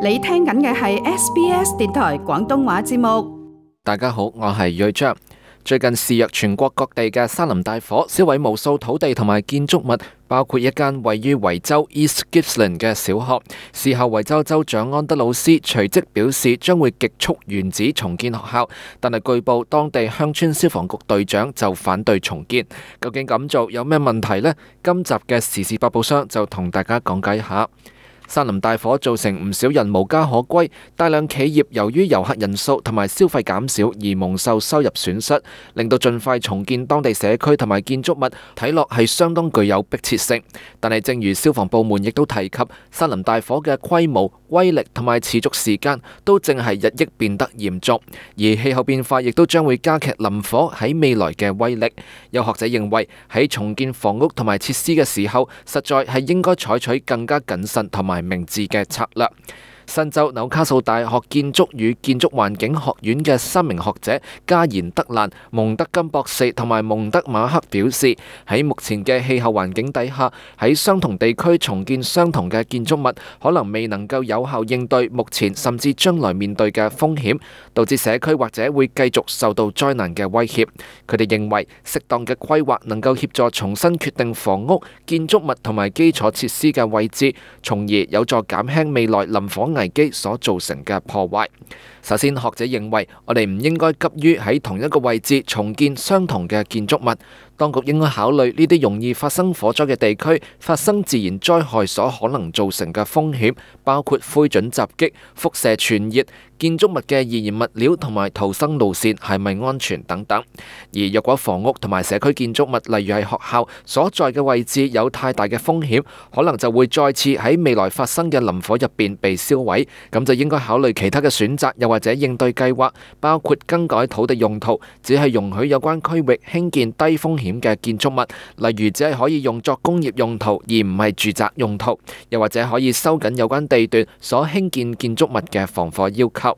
你聽緊嘅係 SBS 電台廣東話節目。大家好，我係睿章。最近肆虐全國各地嘅山林大火，燒毀無數土地同埋建築物，包括一間位於維州 East Gippsland 嘅小學。事後維州州長安德魯斯隨即表示將會極速原址重建學校，但係據報當地鄉村消防局隊長就反對重建。究竟咁做有咩問題呢？今集嘅時事百寶箱就同大家講解一下。山林大火造成唔少人無家可歸，大量企業由於遊客人數同埋消費減少而蒙受收入損失，令到盡快重建當地社區同埋建築物睇落係相當具有迫切性。但係正如消防部門亦都提及，山林大火嘅規模、威力同埋持續時間都正係日益變得嚴重，而氣候變化亦都將會加劇林火喺未來嘅威力。有學者認為喺重建房屋同埋設施嘅時候，實在係應該採取更加謹慎同埋明智嘅策略。新州紐卡素大學建築與建築環境學院嘅3名學者加賢德蘭、蒙德金博士同埋蒙德馬克表示，喺目前嘅氣候環境底下，喺相同地區重建相同嘅建築物，可能未能夠有效應對目前甚至將來面對嘅風險，導致社區或者會繼續受到災難嘅威脅。佢哋認為適當嘅規劃能夠協助重新決定房屋、建築物同埋基礎設施嘅位置，從而有助減輕未來林火危機所造成嘅破壞。首先，學者認為我哋唔應該急於喺同一個位置重建相同嘅建築物，當局應該考慮呢啲容易發生火災嘅地區發生自然災害所可能造成嘅風險，包括灰燼襲擊、輻射傳熱、建築物嘅易燃物料同埋逃生路線係咪安全等等。而若果房屋同埋社區建築物，例如係學校所在嘅位置有太大嘅風險，可能就會再次喺未來發生嘅林火入邊被燒毀，咁就應該考慮其他嘅選擇，又或者應對計劃，包括更改土地用途，只係容許有關區域興建低風險嘅建築物，例如只係可以用作工業用途，而唔係住宅用途，又或者可以收緊有關地段所興建建築物嘅防火要求。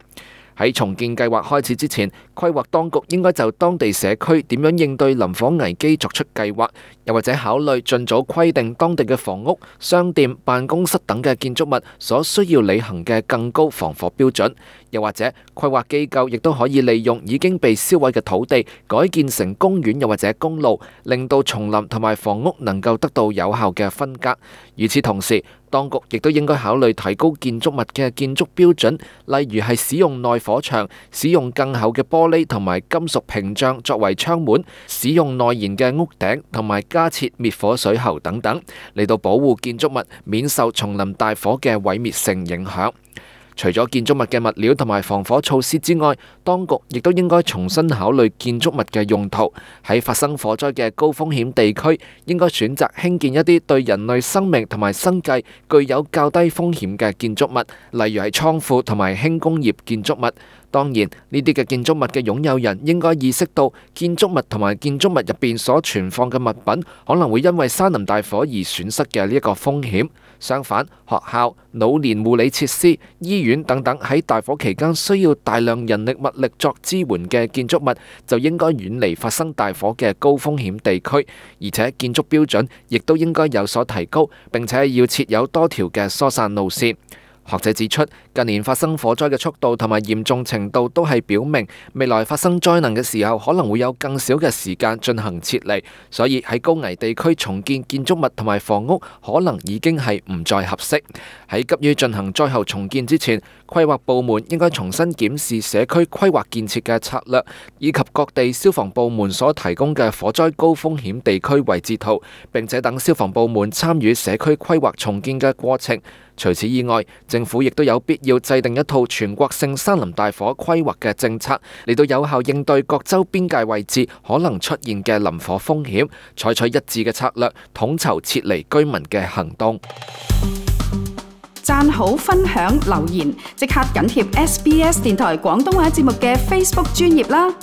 喺重建計劃開始之前，規劃當局應該就當地社區點樣應對林火危機作出計劃，又或者考慮盡早規定當地嘅房屋、商店、辦公室等嘅建築物所需要履行嘅更高防火標準，又或者規劃機構亦都可以利用已經被燒毀嘅土地改建成公園又或者公路，令到叢林同埋房屋能夠得到有效嘅分隔。與此同時，當局亦都應該考慮提高建築物嘅建築標準，例如係使用耐火牆、使用更厚嘅玻璃同埋金屬屏障作為窗門、使用耐燃嘅屋頂同埋加設滅火水喉等等，嚟到保護建築物免受叢林大火嘅毀滅性影響。除咗建築物嘅物料同埋防火措施之外，當局亦都應該重新考慮建築物嘅用途。喺發生火災嘅高風險地區，應該選擇興建一啲對人類生命同埋生計具有較低風險嘅建築物，例如係倉庫同埋輕工業建築物。當然，呢啲嘅建築物嘅擁有人應該意識到，建築物同埋建築物入邊所存放嘅物品可能會因為山林大火而損失嘅呢一個風險。相反，學校、老年護理設施、醫院等等喺大火期間需要大量人力物力作支援嘅建築物，就應該遠離發生大火嘅高風險地區，而且建築標準亦都應該有所提高，並且要設有多條嘅疏散路線。學者指出，近年發生火災嘅速度同埋嚴重程度都係表明，未來發生災難嘅時候可能會有更少嘅時間進行撤離，所以喺高危地區重建建築物同埋房屋可能已經係唔再合適。喺急於進行災後重建之前，規劃部門應該重新檢視社區規劃建設嘅策略，以及各地消防部門所提供嘅火災高風險地區位置圖，並且等消防部門參與社區規劃重建嘅過程。除此以外，政府亦都有必要制定一套全國性山林大火規劃嘅政策，嚟到有效應對各州邊界位置可能出現嘅林火風險，採取一致嘅策略，統籌撤離居民嘅行動。讚好、分享、留言，即刻緊貼SBS 電台廣東話節目嘅 Facebook 專頁啦！